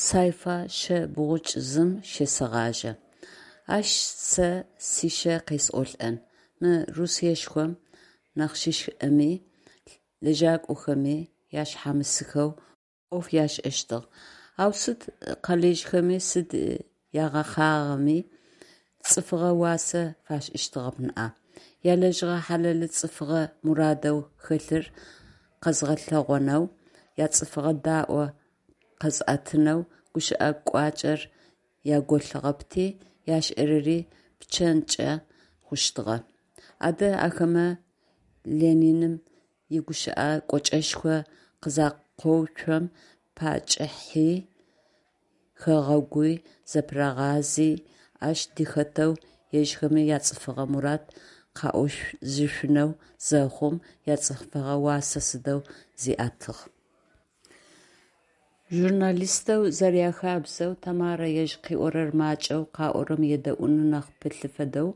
Сайфа шъэ бгъукӏ зым щесэгъажьэ. Ащ сэ сишъэ къесӏолӏэн: мы Русиешхом нахьыжъхэми лэжьакӏохэми ашъхьамысхэу ӏоф ашӏэщтыгъ, ау сыд къалэжьхэми, сыд ягъэхъагъэми цӏыфыгъэ уасэ фашӏыщтыгъэп ныӏа. Ялэжьыгъэ хьалэлы цӏыфыгъэ мурадэу хэлъыр къэзгъэлъэгъонэу, яцӏыфыгъэ даӏо къэзыӏэтынэу гущыӏэ кӏуачӏэр яголъыгъэпти, яшӏэрэри пчэнкӏэ хъущтыгъэ. Адэ ахэмэ Лениным игущыӏэ кӏочӏэшхо къызакъоуцом, пачъыхьи хэгъэгуи зэпырагъази, ащ дыхэтэу ежьхэми яцӏыфыгъэ мурад къаӏожьышъунэу зэхъум, яцӏыфыгъэ уасэ сыдэу зиӏэтыгъ. Журналистэу зэряхабзэу, Тэмарэ ежь къыӏорэр макӏэу, къаӏорэм едэӏуным нахь пылъы фэдэу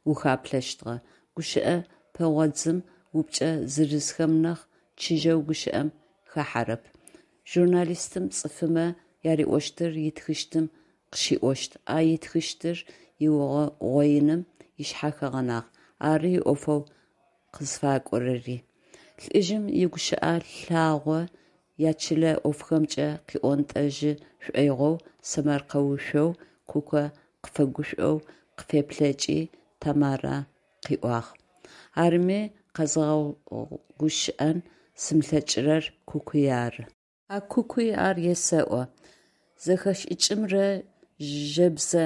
ухаплъэщтыгъэ. Гущыӏэ пэгъодзым, упчӏэ зырызхэм нахь чыжьэу гущыӏэм хахьэрэп. Журналистым цӏыфымэ яриӏощтыр ытхыщтым къыщиӏощт, а ытхыщтыр ыугъоиным ышъхьэ хэгъэнагъ, ары иӏофэу къызфакӏорэри. Лӏыжъым игущыӏэ лъагъо ячылэ ӏофхэмкӏэ къыӏонтӏэжьы шӏоигъоу сэмэркъэушъоу Куко къыфэгушӏоу къыфеплъэкӏи, Тэмарэ къыӏуагъ: «Арыми къэзгъэгущыӏэн сымылъэкӏырэр Кукуй ары. А Кукуй ар есэӏо. Зэхэшӏыкӏымрэ жэбзэ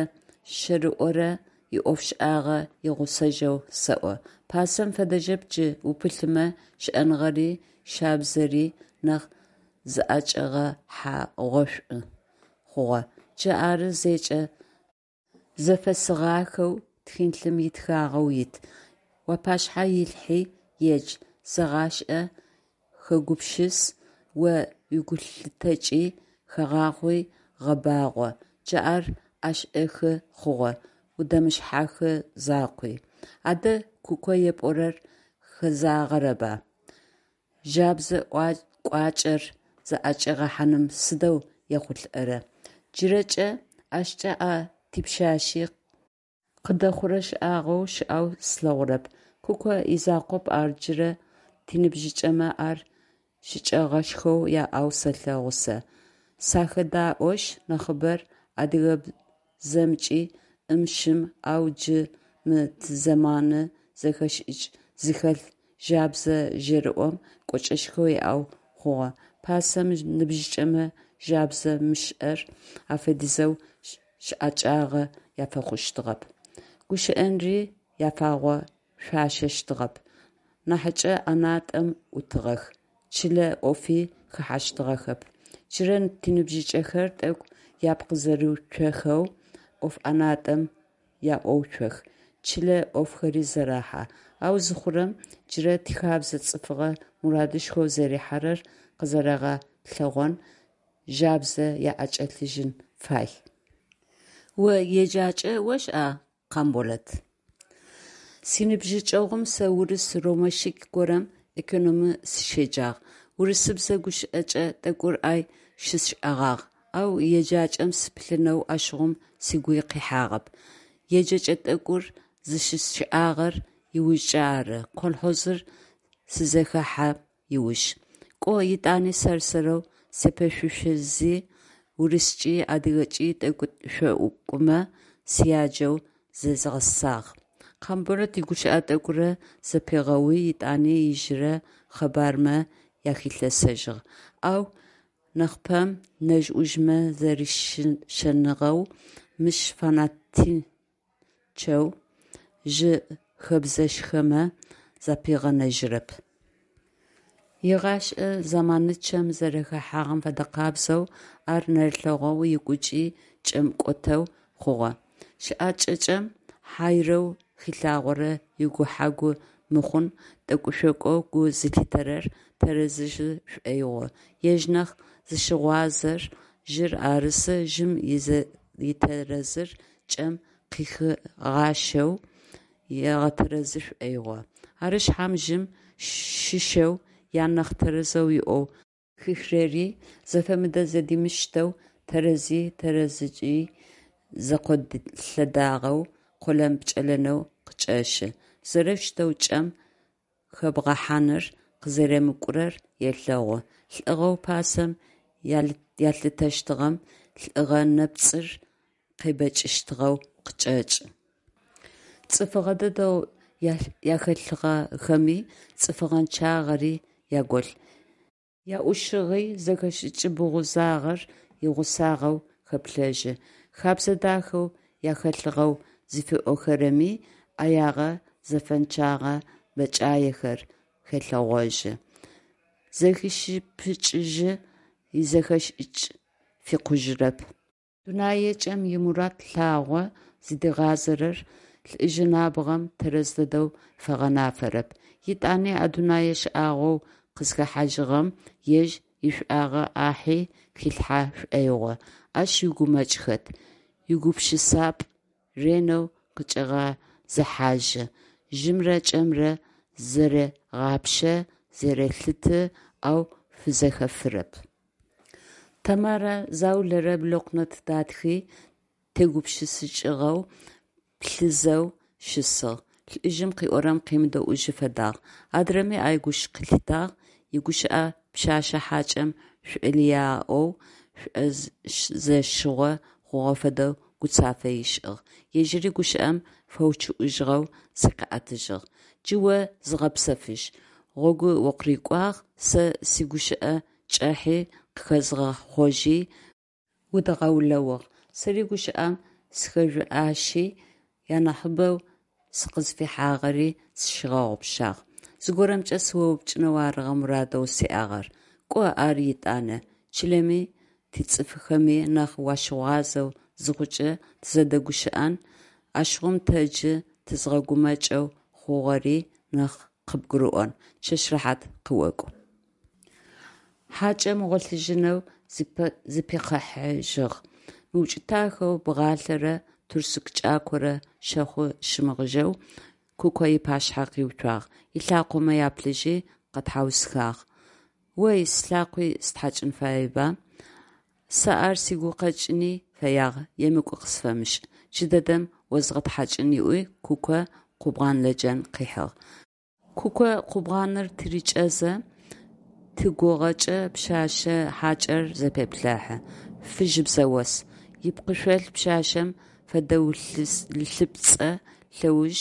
щэрыомрэ иӏофшӏагъэ игъусэжьэу сэӏо. Пасэм фэдэжьэп джы упылъымэ щыӏэныгъэри щабзэри нахь зыӏэкӏэгъэхьэгъошӏу хъугъэ. Джы ары зэкӏэ зэфэсыгъахэу тхылъым итхагъэу ит. Уапашъхьэ илъхьи едж, зэгъашӏэ, хэгупшыс, о уигулъытэкӏи хэгъахъуи гъэбагъо. Джы ар ӏэшӏэхы хъугъэ, удэмышъхьахы закъуи. Адэ Куко епӏорэр хэзагъэрэба? Жабзэ кӏуачӏэр зыӏэкӏигъэхьаным сыдэу ехъулӏэрэ? Джырэкӏэ ащкӏэ а типшъашъи къыдэхъурэ шӏагъо щыӏэу слъэгъурэп. Куко изакъоп ар, джырэ тиныбжьыкӏэмэ ар щыкӏэгъэшхоу яӏэу сэлъэгъу сэ. Сахэдаӏошъ, нахьыбэр адыгабзэмкӏи ӏым-щым, ау джы мы тизэманы зэхэшӏыкӏ зыхэлъ жабзэ жэрыӏом кӏочӏэшхо иӏэу хъугъэ. Пасэм ныбжьыкӏэмэ жабзэ мышӏэр афэдизэу щыӏэкӏагъэ яфэхъущтыгъэп, гущыӏэнри яфагъэшъуашэщтыгъэп, нахьыкӏэ ӏэнатӏэм ӏутыгъэх, чылэ ӏофи хэхьэщтыгъэхэп. Джырэ тиныбжьыкӏэхэр тӏэкӏу япкъ зэрыуцохэу ӏоф ӏэнатӏэм яӏоуцох, чылэ ӏофхэри зэрахьэ. Ау зыхъурэм, джырэ тихабзэ цӏыфыгъэ мурадышхоу зэрихьэрэр къызэрэгъэлъэгъон жабзэ яӏэкӏэлъыжьын фай. О еджакӏэ ошӏа, Къамболэт? Синыбжьыкӏэгъум сэ урыс ромащик горэм экономи сыщеджагъ, урысыбзэ гущыӏэкӏэ тӏэкӏур ай щысшӏэгъагъ, ау еджакӏэм сыпылъынэу ащыгъум сыгуи къихьагъэп. Еджэкӏэ тӏэкӏур зыщысшӏагъэр ыужкӏэ ары, колхозыр сызэхэхьэм ыуж. Кӏо, етӏани сэр-сэрэу сепэшъушъузи, урыскӏи адыгэкӏи тӏэкӏу-шъокӏумэ сяджэу зезгъэсагъ, – Къамболэт игущыӏэ тӏэкӏурэ зэпигъэуи, етӏанэ ижъырэ къэбармэ яхилъэсэжьыгъ, ау нахьыпэм нэжъ-ӏужъмэ зэришэныгъэу, мыщ фанатичэу жъы хэбзэшхомэ запигъэнэжьырэп. Игъашӏэ зэманычъэм зэрэхэхьагъэм фэдэкъабзэу, ар нэрылъэгъоу ыгукӏи чӏэм кӏотэу хъугъэ. Щыӏэкӏакӏэм хьайрэу хилъагъорэ игухьэ-гу мыхъун тӏэкӏу-шъокӏоу гу зылъитэрэр тэрэз ышӏы шӏоигъу, ежь нахь зыщыгъуазэр жъыр арысы, жъым итэрэзыр кӏэм къыхигъащэу ыгъэтэрэзы шӏоигъу. Ары шъхьам жъым щыщэу янахь тэрэзэу иӏоу къыхихырэри зэфэмыдэ-зэдимыштэу Тэрэзи тэрэзыкӏи зэкъолъэдагъэу, къолэн-пкӏэлэнэу къычӏэщы. Зэрэущтэу кӏэм хэбгъэхьаныр къызэремыкӏурэр елъэгъу, лӏыгъэу пасэм ялъытэщтыгъэм лӏыгъэ нэпцӏыр къебэкӏыщтыгъэу къычӏэкӏы. Цӏыфыгъэ дэдэу яхэлъыгъэхэми цӏыфыгъэнчъагъэри яголъ, яӏушыгъи зэхэшӏыкӏ бгъузагъэр игъусагъэу хэплъэжьы, хэбзэ дахэу яхэлъыгъэу зыфиӏохэрэми ӏэягъэ, зэфэнчъэгъэ бэкӏаехэр хелъэгъожьы, зэхишыпыкӏыжьы, изэхэшӏыкӏ фикъужьырэп. Дунэякӏэм имурад лъагъо зыдигъазэрэр лӏыжъы набгъэм тэрэз дэдэу фэгъэнафэрэп. Етӏани а дунэе шӏагъоу къызхэхьажьыгъэм ежь ишӏуагъэ ӏахьи хилъхьэ шӏоигъу, ащ игумэкӏ хэт, игупшысапӏ, ренэу къыкӏегъэзыхьажьы, жъымрэ кӏэмрэ зэрегъапшэ, зэрелъыты, ау фызэхэфырэп. Тэмарэ заулэрэ блокнот датхи, тегупшысыкӏыгъэу, плъызэу щысыгъ, лӏыжъым къыӏорэм къемыдэӏужьы фэдагъ. Адрэми Айгущ къылъитагъ, игущыӏэ пшъэшъэ хьакӏэм шӏолыяӏоу, шӏозэщыгъо хъугъэ фэдэу гуцафэ ышӏыгъ, ежьыри гущыӏэм фэучъыӏужьыгъэу зыкъиӏэтыжьыгъ: Джы о зыгъэпсэфыжь, гъогу укъырыкӏуагъ, сэ сигущыӏэ кӏахьи къыхэзгъэхъожьи удгъэулэугъ, сэри гущыӏэм сыхэжъуаши, янахьыбэу сыкъызфихьагъэри сщигъэгъупшагъ. Зыгорэмкӏэ сыоупчӏынэу арыгъэ мурадэу сиӏагъэр. Кӏо ар етӏанэ, чылэми тицӏыфхэми нахь уащыгъуазэу зыхъукӏэ тызэдэгущыӏэн, ащыгъум тэ джы тызгъэгумэкӏэу хъугъэри нахь къыбгурыӏон, чэщ рэхьат къыокӏу. Хьакӏэм гъолъыжьынэу зыпихъыхьажьыгъ. Мыукӏытахэу, бгъалъэрэ тырсыку кӏакорэ щэхъу щымыгъыжьэу Куко ыпашъхьэ къиуцуагъ, ылъакъомэ яплъыжьи, къэтхьаусхагъ: «Ой, слъакъуи стхьакӏын фаеба? Сэ ар сыгу къэкӏыни фэягъ, емыкӏу къысфэмышӏ, джыдэдэм озгъэтхьакӏын», – ыӏуи Куко къубгъан-лэджэн къыхьыгъ. Куко къубгъаныр тырикӏэзэ, тыгугъэкӏэ пшъэшъэ хьакӏэр зэпеплъыхьэ. Фыжьыбзэ ос. Ипкъышъол пшъашъэм фэдэулъыпцӏэ лъэуж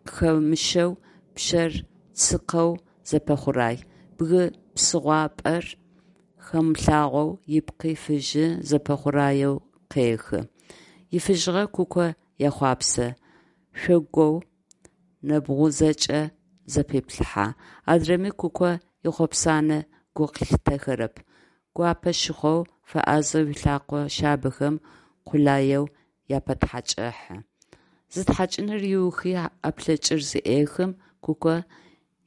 къыхэмыщэу, пшъэр цыкъэу зэпэхъурай. Бгы псыгъуапэр хэмылъагъоу ыпкъи фыжьы, зэпэхъураеу къехы. Ифыжьыгъэ Куко ехъуапсэ, шъогоу нэбгъузэкӏэ зэпеплъыхьэ. Адрэми Куко ихъопсанэ гу лъитэхэрэп, гуапэ щыхъоу, фэӏазэу ылъэкъо шъабэхэм къулаеу япэтхьакӏыхьы. Зытхьакӏыныр ыухи ӏэплъэкӏыр зыӏехым, Куко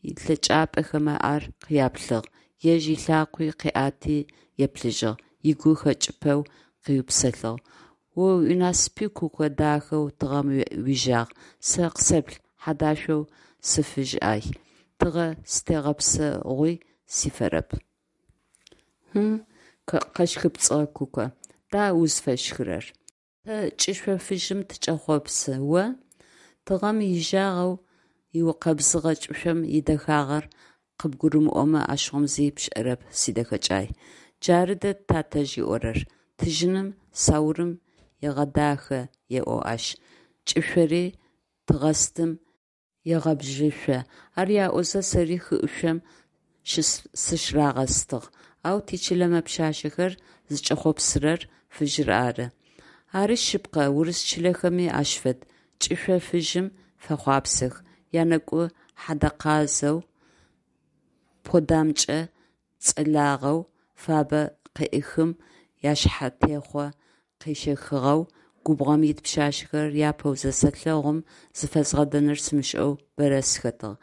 ылъэкӏапӏэхэмэ ар къяплъыгъ, ежь ылъакъуи къыӏэти еплъыжьыгъ, ыгу хэкӏыпэу къыупсэлъыгъ: «О уинасыпи, Куко, дахэу тыгъэм уижагъ, сэ къысэплъ, хьэдашъоу сыфыжь ӏай, тыгъэ зытегъэпсэгъуи сифэрэп». «Хьы?», – къэщхыпцӏыгъэ Куко. Да узфэщхырэр? Тэ кӏышъо фыжьым тыкӏэхъопсы, о? Тыгъэм ижьагъэу ыукъэбзыгъэ кӏышъом идэхагъэр къыбгурымыӏомэ, ащыгъум зи пшӏэрэп, сидэхэкӏай. Джары дэд татэжъ ыӏорэр: «Тыжьыным саурым егъэдахэ еӏо ащ, кӏышъори тыгъэстым егъэбжьышъо», ар яӏозэ, сэри хыӏушъом сыщырагъэстыгъ. Ау тичылэмэ пшъашъэхэр зыкӏэхъопсырэр фыжьыр ары. Ари шъыпкъэ, урыс чылэхэми ащ фэд, кӏышъо фыжьым фэхъуапсэх, янэкӏу хьадэкъазэу, подамкӏэ цӏэлагъэу, фабэ къеӏыхым яшъхьэтехъо къещэхыгъэу губгъом ит пшъашъэхэр апэу зысэлъэгъум, зыфэзгъэдэнур сымышӏэу бэрэ сыхэтыгъ.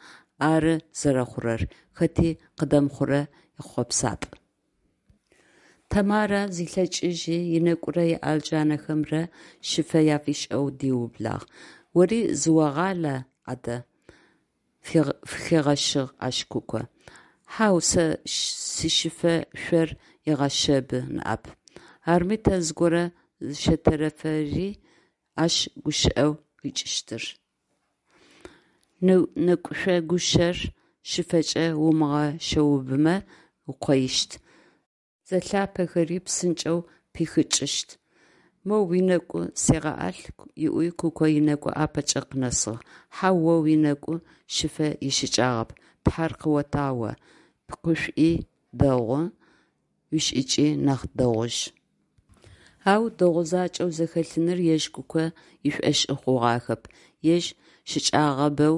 Ары зэрэхъурэр, хэти къыдэмыхъурэ ихъопсапӏ. Тэмарэ зилъэкӏыжьи, ынэкӏурэ ыӏэлджанэхэмрэ щыфэ афишӏэу диублагъ. Ори зыогъала адэ? – фыхигъэщыгъ ащ Куко. Хьау, сэ сищыфэ шъор егъэшъэбы ныӏэп. Арми тэ зыгорэ зыщэтэрэфэри, ащ гущыӏэу къикӏыщтыр. Нэкӏушъо гущэр щыфэкӏэ умыгъэшъэубымэ укъоищт, зэлъапэхэри псынкӏэу пихыкӏыщт. Моу уинэкӏу сегъэӏэлъ, – ыӏуи Куко инэкӏу ӏапэкӏэ къынэсыгъ. Хьау, о уинэкӏу щыфэ ищыкӏагъэп, тхьэр къыотагъ о, пкъышӏуи дэгъу, уишӏыкӏи нахь дэгъужь. Ау дэгъу закӏэу зэхэлъыныр ежь Куко ышӏошъы хъугъахэп, ежь щыкӏэгъабэу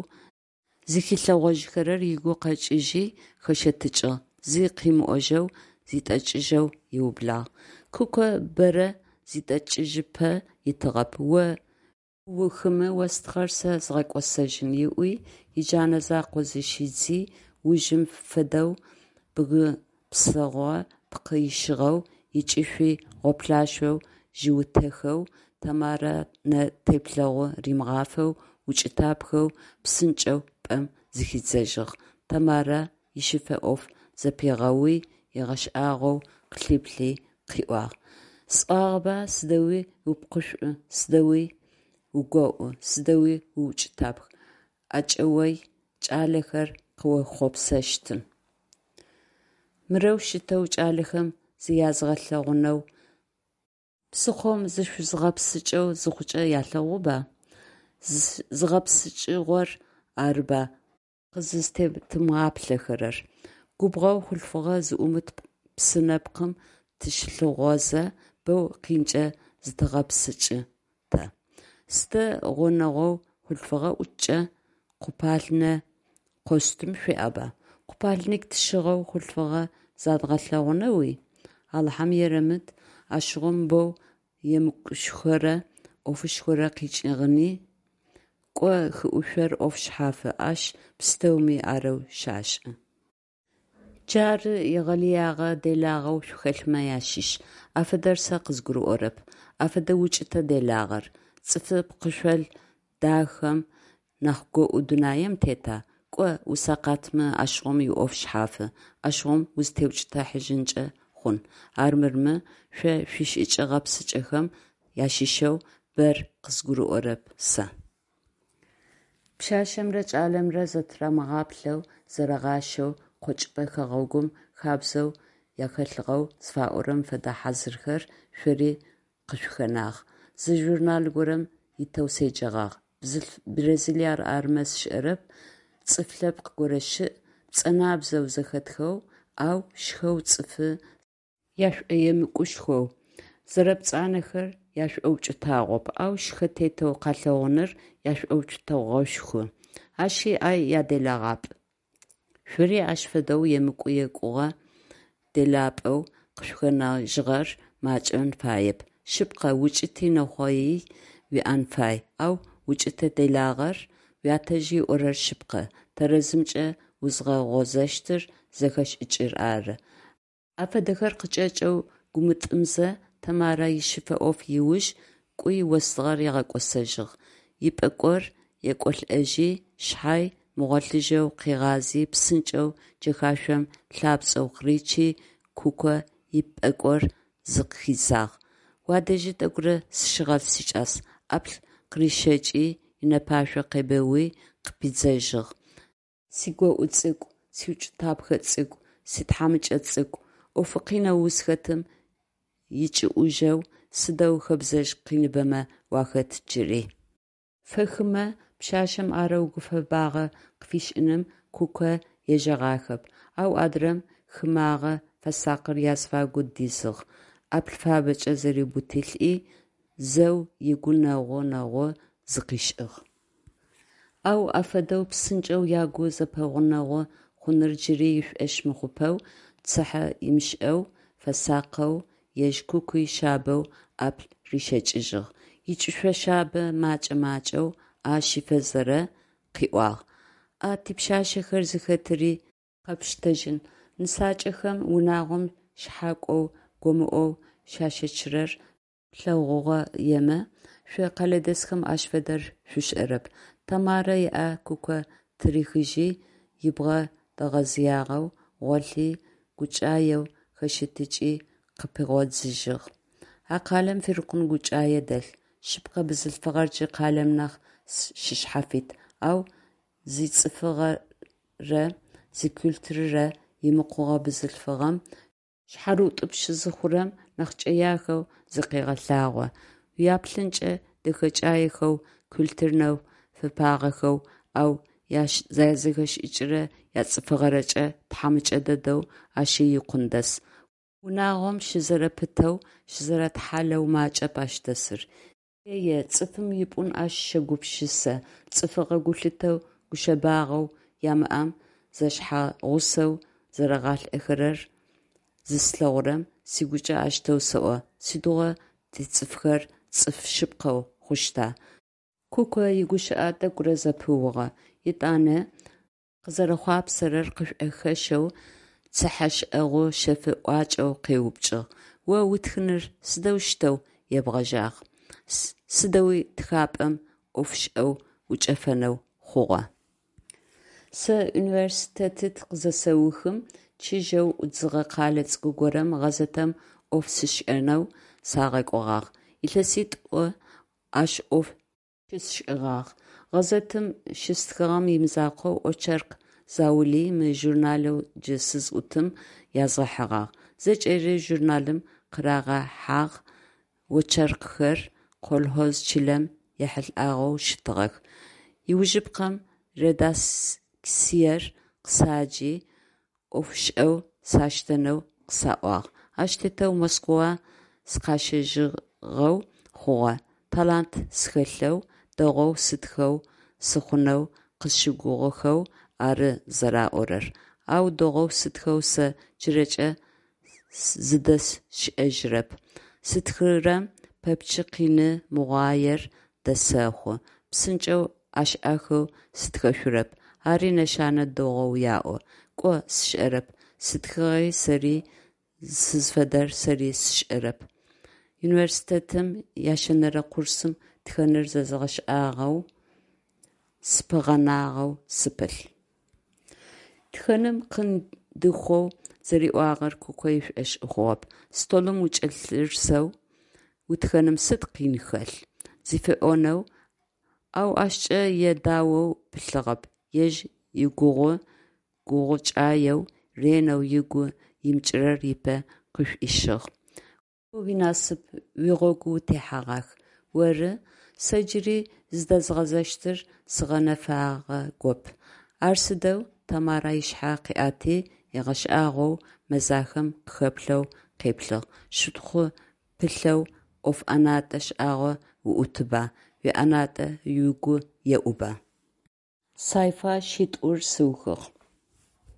зыхилъэгъожьыхэрэр ыгу къэкӏыжьи, хэщэтыкӏыгъ, зи къымыӏожьэу зитӏэкӏыжьэу ыублагъ. Куко бэрэ зитӏэкӏыжьыпэ итыгъэп, о уухымэ остыгъэр сэ згъэкӏосэжьын, ыӏуи, иджэнэ закъо зыщидзи, ужым фэдэу бгы псыгъо пкъы ищыгъэу, ыкӏышъуи гъоплъашъоу жъиутэхэу, Тэмарэ нэ теплъэгъу римыгъафэу, укӏытапхэу, псынкӏэу пӏэм зыхидзэжьыгъ. Тэмарэ ищыфэ ӏоф зэпигъэуи, ыгъэшӏагъоу къылъиплъи къыӏуагъ: «Сӏуагъэба сыдэуи упкъышӏу, сыдэуи угоӏу, сыдэуи уукӏытапх, ӏэкӏэой кӏалэхэр къыохъопсэщтын. Мырэущтэу кӏалэхэм зыязгъэлъэгъунэу псыхъом зышъузгъэпскӏэу зыхъукӏэ ялъэгъуба? Зыгъэпскӏыгъор арыба къызызтетымыгъаплъэхэрэр. Губгъоу хъулъфыгъэ зыӏумыт псы нэпкъым тыщылъыхъозэ, боу къинкӏэ зытэгъэпскӏы тэ. Сыда гъунэгъоу хъулъфыгъэ ӏуткӏэ, купальнэ костюм шъуиӏэба? Купальник тщыгъэу хъулъфыгъэ задгъэлъэгъунэуи? Алахьэм ерэмыд, ащыгъум боу емыкӏушхорэ ӏофышхорэ къикӏыгъэни. Кӏо, хыӏушъор ӏоф шъхьафы, ащ пстэуми арэу щашӏы. Джары егъэлыягъэ делагъэу шъухэлъмэ ащыщ. Афэдэр сэ къызгурыӏорэп. Афэдэ укӏытэ делагъэр. Цӏыфы пкъышъол дахэм нахь гоӏу дунаим тета? Кӏо, усэкъатмэ, ащыгъум иӏоф шъхьафы, ащыгъум узытеукӏытыхьажьынкӏэ хъун. Армырмэ, шъо шъуишӏыкӏэ-гъэпсыкӏэхэм ащыщэу бэр къызгурыӏорэп сэ. Пшъашъэмрэ кӏалэмрэ зэтырамыгъаплъэу, зэрагъашӏэу къокӏыпӏэ хэгъэгум хабзэу яхэлъыгъэу зыфаӏорэм фэдэ хьазырхэр шъори къышъухэнагъ. Зы журнал горэм итэу седжэгъагъ: Бразилиер армэ сшӏэрэп, цӏыф лъэпкъ горэ щыӏ, пцӏэнабзэу зэхэтхэу, ау шхэу цӏыфы яшӏоемыкӏушхоу, зэрэпцӏанэхэр яшӏоукӏытагъоп, ау шхэ тетэу къалъэгъуныр яшӏоукӏытэгъошху. Ащи ай яделэгъапӏ. Шъори ащ фэдэу емыкӏу-екӏугъэ делапӏэу къышъухэнэжьыгъэр макӏэн фаеп. Шъыпкъэ, укӏыти нэхъоий уиӏэн фай, ау укӏытэ-делагъэр, уятэжъ ыӏорэр шъыпкъэ, тэрэзымкӏэ узгъэгъозэщтыр зэхэшӏыкӏыр ары. Афэдэхэр къыкӏэкӏэу гумытӏымзэ, Тэмарэ ищыфэ ӏоф ыуж кӏуи остыгъэр ыгъэкӏосэжьыгъ, ипӏэкӏор екӏолӏэжьи шъхьай, мыгъолъыжьэу къыгъази, псынкӏэу джэхашъом лъапцӏэу къыричи, Куко ипӏэкӏор зыхидзагъ: «Уадэжьы тӏэкӏурэ сыщыгъэлъ, сикӏас», – ӏаплӏ къырищэкӏи, ынэпашъо къебэуи, къыпидзэжьыгъ: «Сигоӏу цӏыкӏу, сиукӏытапхэ цӏыкӏу, ситхьамыкӏэ цӏыкӏу, ӏофы къинэу узхэтым икӏыӏужьэу сыдэу хэбзэжъ къиныбэмэ уахэт джыри». Фэхымэ пшъашъэм арэу гуфэбагъэ къыфишӏыным Куко ежэгъахэп, ау адрэм хымагъэ фэсакъыр азыфагу дизыгъ, ӏаплӏ фабэкӏэ зэриубытылӏи, зэу ыгу нэгъу-нэгъу зыкъишӏыгъ. Ау афэдэу псынкӏэу ягу зэпэгъунэгъу хъуныр джыри ышӏошъ мыхъупэу, цыхьэ ымышӏэу, фэсакъэу, ежь Кукуи шъабэу ӏаплӏ рищэкӏыжьыгъ, ыкӏышъо шъабэ мэкӏэ-макӏэу ӏэ щифэзэрэ къыӏуагъ: «А типшъашъэхэр зыхэтыри къэпштэжьын, нысакӏэхэм унагъом шъхьакӏоу, гомыӏоу щащэчырэр плъэгъугъоемэ, шъо къэлэдэсхэм ащ фэдэр шъушӏэрэп», – Тэмарэ ыӏэ Куко тырихыжьи, ыбгъэ дэгъэзыягъэу гъолъи, гукӏаеу хэщэтыкӏи, къыпигъодзыжьыгъ. А къалэм фирикъун гукӏае дэлъ. Шъыпкъэ, бзылъфыгъэр джы къалэм нахь щышъхьафит, ау зицӏыфыгъэрэ зикультурэрэ имыкъугъэ бзылъфыгъэм шъхьарыутӏупщ зыхъурэм, нахь кӏэяхэу зыкъегъэлъагъо. Уяплъынкӏэ дэхэкӏаехэу, культурнэу фэпагъэхэу, ау язэхэшӏыкӏырэ яцӏыфыгъэрэкӏэ тхьамыкӏэ дэдэу ащи икъун дэс. Унагъом щызэрэпытэу, щызэрэтхьалэу макӏэп ащ дэсыр. Е-е, цӏыфым ипӏун ащ щэгупшысэ, цӏыфыгъэ гулъытэу, гушъэбагъэу ямыӏэм зэшъхьэгъусэу зэрагъалӏэхэрэр зыслъэгъурэм, сыгукӏэ аущтэу сэӏо: Сыдигъо тицӏыфхэр цӏыф шъыпкъэ хъущта? Куко игущыӏэ тӏэкӏурэ зэпыугъэ, етӏанэ къызэрэхъуапсэрэр къышӏухэщэу, цыхьэшӏэгъу шъэф ӏуакӏэу къеупчӏыгъ: – О утхэныр сыдэущтэу ебгъэжьагъ, сыдэуи тхапӏэм ӏофышӏэу учӏэфэнэу хъугъа? Сэ университетыр къызысэухым чыжьэу ӏудзыгъэ къэлэ цӏыкӏу горэм гъэзетым ӏоф щысшӏэнэу сагъэкӏогъагъ. Илъэситӏо ащ ӏоф щысшӏэгъагъ. Гъэзетым щыстхыгъэм имызакъоу очерк заули мы журналэу джы сызӏутым язгъэхьыгъагъ. Зэкӏэри журналым къырагъэхьагъ, очеркхэр колхоз чылэм ехьылӏагъэу щытыгъэх. Ыужыпкъэм редакциер къысаджи ӏофышӏэу саштэнэу къысаӏуагъ. Ащ тетэу Москва сыкъащэжьыгъэу хъугъэ. Талант схэлъэу, дэгъоу сытхэу сыхъунэу къысщыгугъыхэу ары зэраӏорэр. Ау дэгъоу сытхэу сэ джырэкӏэ зыдэсшӏэжьырэп, стхырэм пэпчъ къины мыгъуаер дэсэхъу, псынкӏэу ӏэшӏэхэу сытхэшъурэп, ари нэшэнэ дэгъоу яӏо. Кӏо сшӏэрэп, ситхыгъи сэри сызфэдэр сэри сшӏэрэп. Университетым ящэнэрэ курсым тхэныр зэзгъэшӏагъэу сыпыгъэнагъэу сыпылъ. Тхэным къин дыхъоу зэриӏуагъэр Куко ышӏошъ хъугъэп. Столым укӏэлъырысэу утхэным сыд къин хэлъ? Зыфиӏонэу, ау ащкӏэ едаоу пылъыгъэп, ежь игугъу-гукӏаеу ренэу ыгу имыкӏырэр ыпэ къышӏуишъыгъ. О уинасып, уигъогу утехьэгъах. Оры? Сэ джыри зыдэзгъэзэщтыр сыгъэнэфагъэгоп. Ар сыдэу? Тамарэ ышъхьэ къыӏэти, ыгъэшӏагъоу мэзахэм къыхэплъэу къеплъыгъ. Щытхъу пылъэу ӏоф ӏэнатӏэ шӏагъо уӏутыба, уиӏэнатӏэ угу еӏуба? Сайфа шъитӏур сыухыгъ.